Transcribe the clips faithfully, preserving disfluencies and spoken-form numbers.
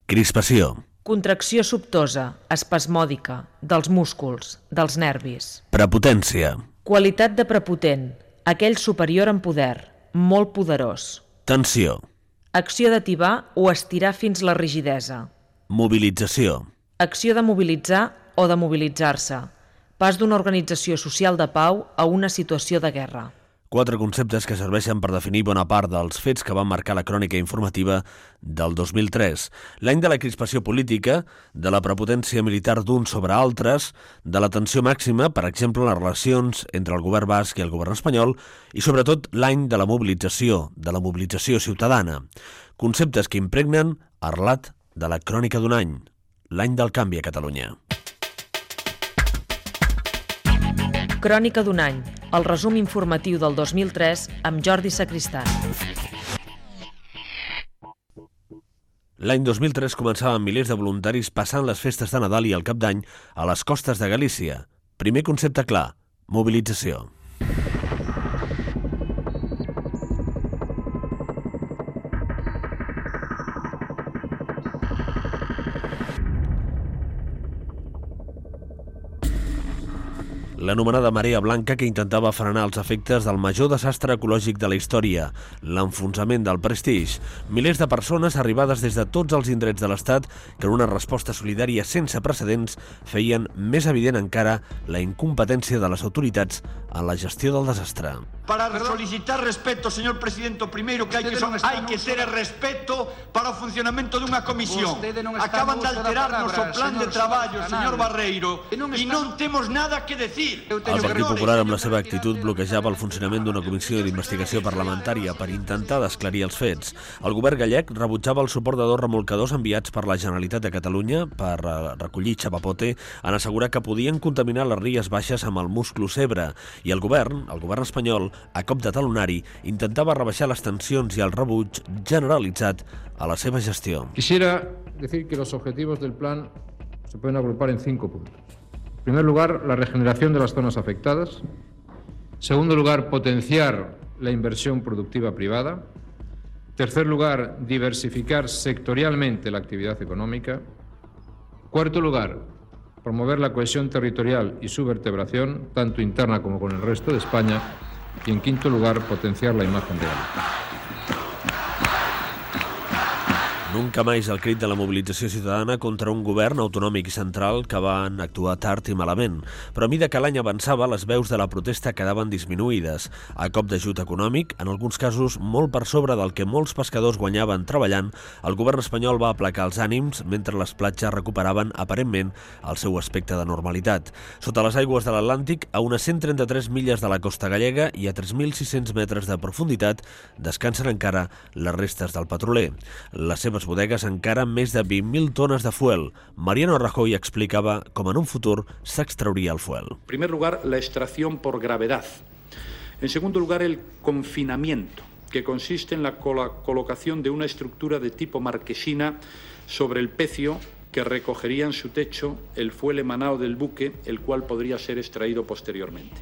Crispació. Contracció sobtosa, espasmòdica, dels músculs, dels nervis. Prepotència. Qualitat de prepotent, aquell superior en poder, molt poderós. Tensió. Acció de tibar o estirar fins la rigidesa. Mobilització. Acció de mobilitzar o de mobilitzar-se. Pas d'una organització social de pau a una situació de guerra. Quatre conceptes que serveixen per definir bona part dels fets que van marcar la crònica informativa del dos mil tres. L'any de la crispació política, de la prepotència militar d'uns sobre altres, de la tensió màxima, per exemple, en les relacions entre el govern basc i el govern espanyol, i sobretot l'any de la mobilització, de la mobilització ciutadana. Conceptes que impregnen el relat de la crònica d'un any, l'any del canvi a Catalunya. Crònica d'un any, el resum informatiu del dos mil tres amb Jordi Sacristán. L'any dos mil tres començaven milers de voluntaris passant les festes de Nadal i el Cap d'Any a les costes de Galícia. Primer concepte clar, mobilització. L'anomenada marea blanca que intentava frenar els efectes del major desastre ecològic de la història, l'enfonsament del Prestige. Milers de persones arribades des de tots els indrets de l'Estat que en una resposta solidària sense precedents feien més evident encara la incompetència de les autoritats en la gestió del desastre. Para solicitar respeto, señor presidente, primeiro que hai que, son, hai que ter respeto para o funcionamento dunha comisión. Acaban de alterarnos o plan de traballo, señor Barreiro, e non temos nada que decir. El Partit Popular, amb la seva actitud, bloquejava el funcionament d'una comissió d'investigació parlamentària per intentar d'esclarir els fets. El govern gallec rebutjava el suport de dos remolcadors enviats per la Generalitat de Catalunya per recollir xapapote en assegurar que podien contaminar les Ries Baixes amb el musclo Segre. I el govern, el govern espanyol, a cop de talonari, intentava rebaixar les tensions i el rebuig generalitzat a la seva gestió. Quisiera decir que los objetivos del plan se pueden agrupar en cinco puntos. En primer lugar, la regeneración de las zonas afectadas. En segundo lugar, potenciar la inversión productiva privada. En tercer lugar, diversificar sectorialmente la actividad económica. En cuarto lugar, promover la cohesión territorial y su vertebración, tanto interna como con el resto de España. Y en quinto lugar, potenciar la imagen de Galicia. Nunca més el crit de la mobilització ciutadana contra un govern autonòmic i central que van actuar tard i malament. Però a mida que l'any avançava, les veus de la protesta quedaven disminuïdes. A cop d'ajut econòmic, en alguns casos molt per sobre del que molts pescadors guanyaven treballant, el govern espanyol va aplacar els ànims mentre les platges recuperaven aparentment el seu aspecte de normalitat. Sota les aigües de l'Atlàntic, a unes cent trenta-tres milles de la costa gallega i a tres mil sis-cents metres de profunditat, descansen encara les restes del petroler. Les seves bodegues encara més de vint mil tones de fuel. Mariano Rajoy explicava com en un futur s'extrauria el fuel. En primer lugar, la extracción por gravedad. En segundo lugar, el confinamiento, que consiste en la colocación de una estructura de tipo marquesina sobre el pecio que recogería en su techo el fuel emanado del buque, el cual podría ser extraído posteriormente.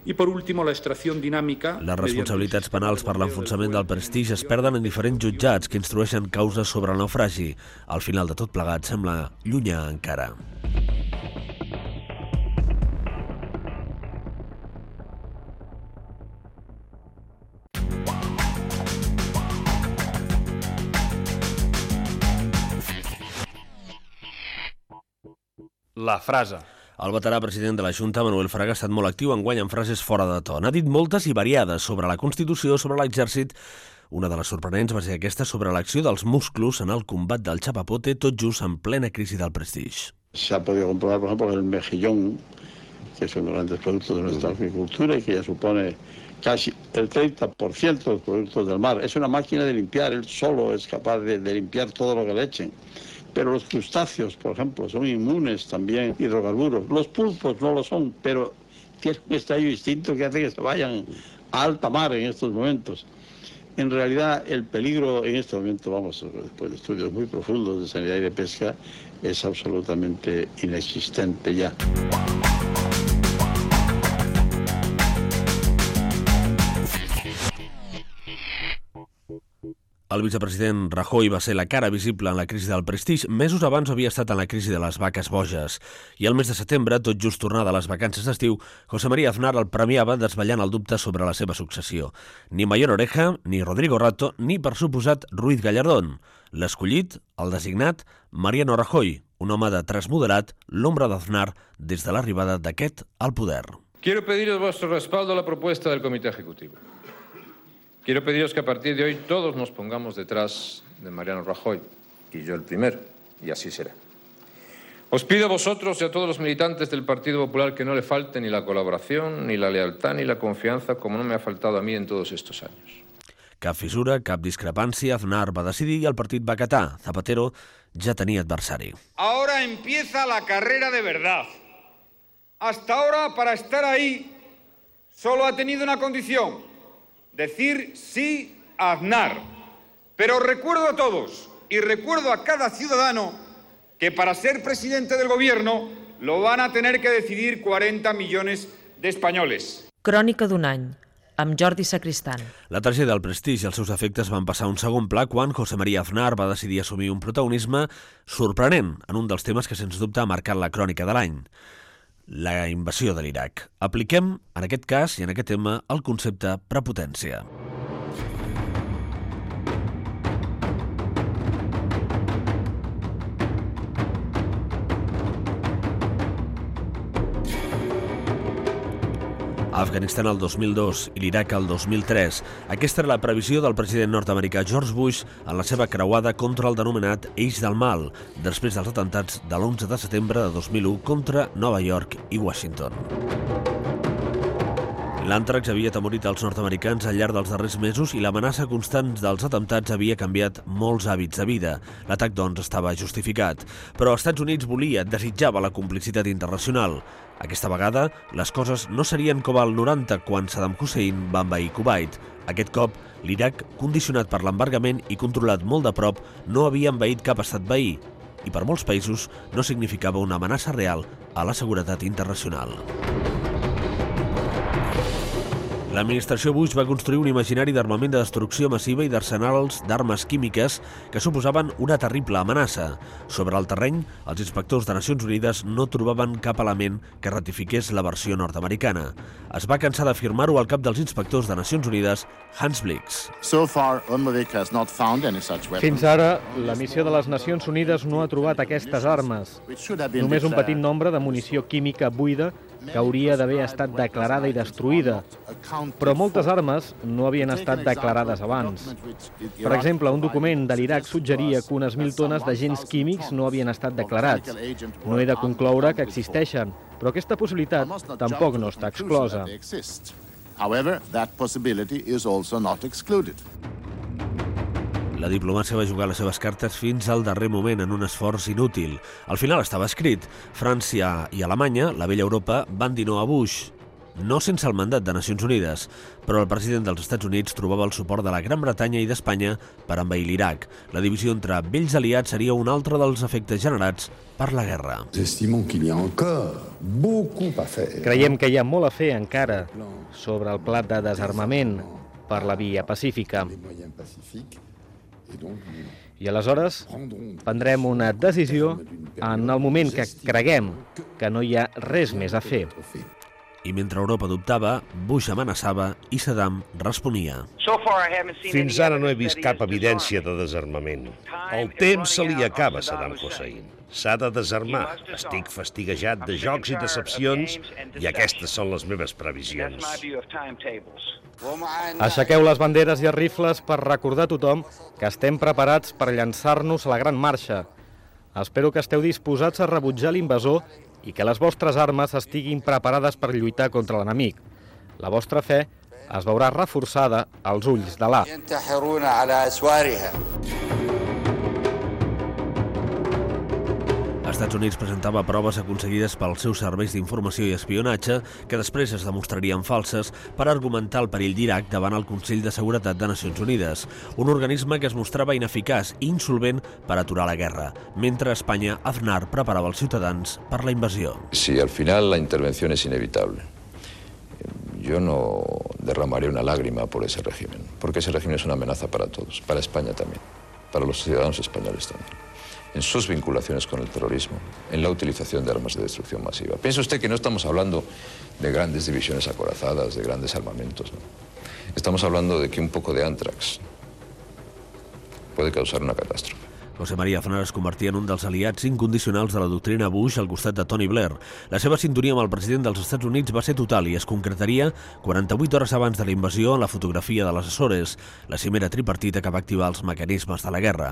I, per últim, la extracció dinàmica... Les responsabilitats penals per l'enfonsament del Prestige es perden en diferents jutjats que instrueixen causes sobre el naufragi. Al final de tot plegat sembla llunyà encara. La frase. El veterà president de la Junta, Manuel Fraga, ha estat molt actiu enguany en frases fora de to. N'ha dit moltes i variades sobre la Constitució, sobre l'exèrcit. Una de les sorprenents va ser aquesta sobre l'acció dels musclos en el combat del chapapote, tot just en plena crisi del Prestige. Se ha podido comprobar, por ejemplo, el mejillón, que es uno de los grandes productos de nuestra agricultura y que ya supone casi el treinta por ciento de los productos del mar. Es una máquina de limpiar, él solo es capaz de, de limpiar todo lo que le echen. Pero los crustáceos, por ejemplo, son inmunes también, hidrocarburos. Los pulpos no lo son, pero tienen un estallido distinto que hace que se vayan a alta mar en estos momentos. En realidad, el peligro en este momento, vamos, después de estudios muy profundos de sanidad y de pesca, es absolutamente inexistente ya. El vicepresident Rajoy va ser la cara visible en la crisi del Prestige. Mesos abans havia estat en la crisi de les vaques boges. I el mes de setembre, tot just tornada a les vacances d'estiu, José María Aznar el premiava desvetllant el dubte sobre la seva successió. Ni Mayor Oreja, ni Rodrigo Rato, ni, per suposat, Ruiz Gallardón. L'escollit, el designat, Mariano Rajoy, un home de traç moderat, l'ombra d'Aznar des de l'arribada d'aquest al poder. Quiero pediros vuestro respaldo a la propuesta del Comité Ejecutivo. Quiero pediros que a partir de hoy todos nos pongamos detrás de Mariano Rajoy, y yo el primero, y así será. Os pido a vosotros y a todos los militantes del Partido Popular que no le falte ni la colaboración, ni la lealtad, ni la confianza, como no me ha faltado a mí en todos estos años. Cap fissura, cap discrepància, Aznar va decidir i el partit va acatar. Zapatero ja tenia adversari. Ahora empieza la carrera de verdad. Hasta ahora, para estar ahí, solo ha tenido una condición: decir sí a Aznar. Pero recuerdo a todos y recuerdo a cada ciudadano que para ser presidente del gobierno lo van a tener que decidir cuarenta millones de españoles. Crònica d'un any, amb Jordi Sacristán. La tragèdia del Prestige i els seus efectes van passar a un segon pla quan José María Aznar va decidir assumir un protagonisme sorprenent en un dels temes que sens dubte ha marcat la crònica de l'any: la invasió de l'Iraq. Apliquem, en aquest cas i en aquest tema, el concepte prepotència. Afganistan el dos mil dos i l'Iraq el dos mil tres. Aquesta era la previsió del president nord-americà George Bush en la seva creuada contra el denominat Eix del Mal, després dels atemptats de l'onze de setembre de dos mil u contra Nova York i Washington. L'àntrax havia atemorit els nord-americans al llarg dels darrers mesos i l'amenaça constant dels atemptats havia canviat molts hàbits de vida. L'atac, doncs, estava justificat. Però els Estats Units volia, desitjava la complicitat internacional. Aquesta vegada, les coses no serien com al noranta, quan Saddam Hussein va envair Kuwait. Aquest cop, l'Iraq, condicionat per l'embargament i controlat molt de prop, no havia envaït cap estat veí. I per molts països no significava una amenaça real a la seguretat internacional. L'administració Bush va construir un imaginari d'armament de destrucció massiva i d'arsenals d'armes químiques que suposaven una terrible amenaça. Sobre el terreny, els inspectors de Nacions Unides no trobaven cap element que ratifiqués la versió nord-americana. Es va cansar d'afirmar-ho al cap dels inspectors de Nacions Unides, Hans Blix. Fins ara, la missió de les Nacions Unides no ha trobat aquestes armes. Només un petit nombre de munició química buida que hauria d'haver estat declarada i destruïda. Però moltes armes no havien estat declarades abans. Per exemple, un document de l'Iraq suggeria que unes mil tones d'agents químics no havien estat declarats. No he de concloure que existeixen, però aquesta possibilitat tampoc no està exclosa. However, that possibility is also not excluded. La diplomàcia va jugar les seves cartes fins al darrer moment en un esforç inútil. Al final estava escrit. França i Alemanya, la vella Europa, van dir no a Bush. No sense el mandat de Nacions Unides, però el president dels Estats Units trobava el suport de la Gran Bretanya i d'Espanya per envair l'Iraq. La divisió entre vells aliats seria un altre dels efectes generats per la guerra. Creiem que hi ha molt a fer encara sobre el pla de desarmament per la via pacífica. I aleshores prendrem una decisió en el moment que creguem que no hi ha res més a fer. I mentre Europa dubtava, Bush amenaçava i Saddam responia. Fins ara no he vist cap evidència de desarmament. El temps se li acaba a Saddam Hussein. S'ha de desarmar. Estic fastiguejat de jocs i decepcions i aquestes són les meves previsions. Aixequeu les banderes i els rifles per recordar a tothom que estem preparats per llançar-nos a la gran marxa. Espero que esteu disposats a rebutjar l'invasor i que les vostres armes estiguin preparades per lluitar contra l'enemic. La vostra fe es veurà reforçada als ulls d'Allah. Estats Units presentava proves aconseguides pels seus serveis d'informació i espionatge que després es demostrarien falses per argumentar el perill d'Iraq davant el Consell de Seguretat de Nacions Unides, un organisme que es mostrava ineficaç i insolvent per aturar la guerra, mentre a Espanya Aznar preparava els ciutadans per la invasió. Si al final la intervención es inevitable, yo no derramaría una lágrima por ese régimen, porque ese régimen es una amenaza para todos, para España también, para los ciudadanos españoles también, en sus vinculaciones con el terrorismo, en la utilización de armas de destrucción masiva. Piense usted que no estamos hablando de grandes divisiones acorazadas, de grandes armamentos, ¿no? Estamos hablando de que un poco de àntrax puede causar una catástrofe. José María Aznar es convertia en un dels aliats incondicionals de la doctrina Bush al costat de Tony Blair. La seva sintonia amb el president dels Estats Units va ser total i es concretaria quaranta-vuit hores abans de la invasió en la fotografia de les Açores, la cimera tripartita que va activar els mecanismes de la guerra.